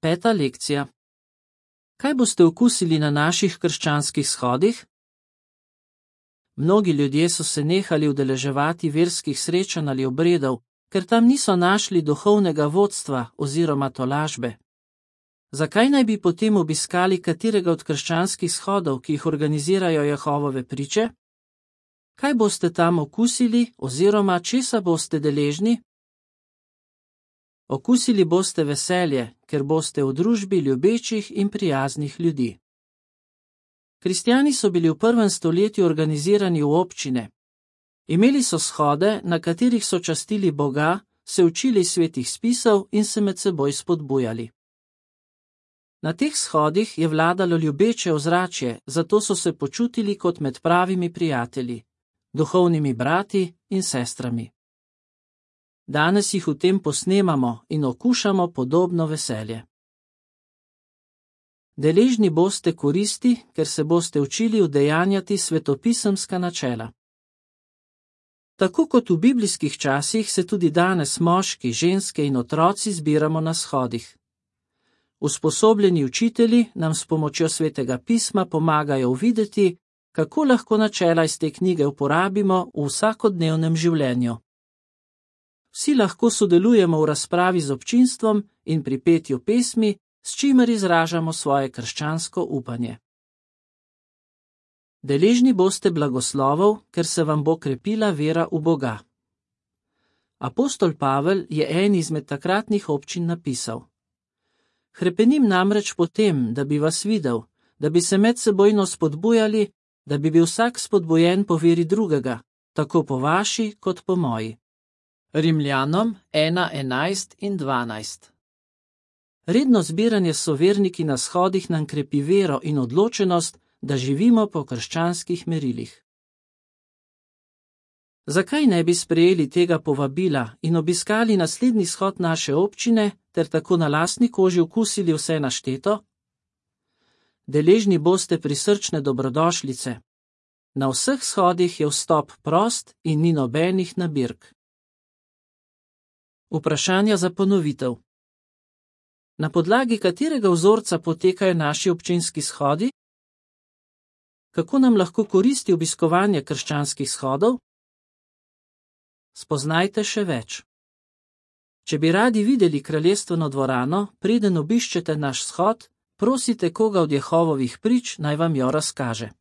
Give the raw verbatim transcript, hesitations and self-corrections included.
Peta lekcija. Kaj boste okusili na naših krščanskih shodih? Mnogi ljudje so se nehali udeleževati verskih srečanj ali obredov, ker tam niso našli duhovnega vodstva oziroma tolažbe. Zakaj naj bi potem obiskali katerega od krščanskih shodov, ki jih organizirajo Jehovove priče? Kaj boste tam okusili oziroma česa boste deležni? Okusili boste veselje, ker boste v družbi ljubečih in prijaznih ljudi. Kristjani so bili v prvem stoletju organizirani v občine. Imeli so shode, na katerih so častili Boga, se učili svetih spisov in se med seboj spodbujali. Na teh shodih je vladalo ljubeče ozračje, zato so se počutili kot med pravimi prijatelji, duhovnimi brati in sestrami. Danes jih v tem posnemamo in okušamo podobno veselje. Deležni boste koristi, ker se boste učili udejanjati svetopisemska načela. Tako kot v biblijskih časih se tudi danes moški, ženske in otroci zbiramo na shodih. Usposobljeni učitelji nam s pomočjo svetega pisma pomagajo uvideti, kako lahko načela iz te knjige uporabimo v vsakodnevnem življenju. Vsi lahko sodelujemo v razpravi z občinstvom in pri petju pesmi, s čimer izražamo svoje krščansko upanje. Deležni boste blagoslovov, ker se vam bo krepila vera v Boga. Apostol Pavel je en izmed takratnih občin napisal: Hrepenim namreč po tem, da bi vas videl, da bi se medsebojno spodbujali, da bi bil vsak spodbujen po veri drugega, tako po vaši kot po moji. Rimljanom ena enajst in dvanajst. Redno zbiranje s soverniki na shodih nam krepi vero in odločenost, da živimo po krščanskih merilih. Zakaj ne bi sprejeli tega povabila in obiskali naslednji shod naše občine ter tako na lastni koži okusili vse našteto? Deležni boste prisrčne dobrodošlice. Na vseh shodih je vstop prost in ni nobenih nabirk. Vprašanja za ponovitev. Na podlagi katerega vzorca potekajo naši občinski shodi? Kako nam lahko koristi obiskovanje krščanskih shodov? Spoznajte še več. Če bi radi videli kraljestveno dvorano, preden obiščete naš shod, prosite koga od Jehovovih prič, naj vam jo razkaže.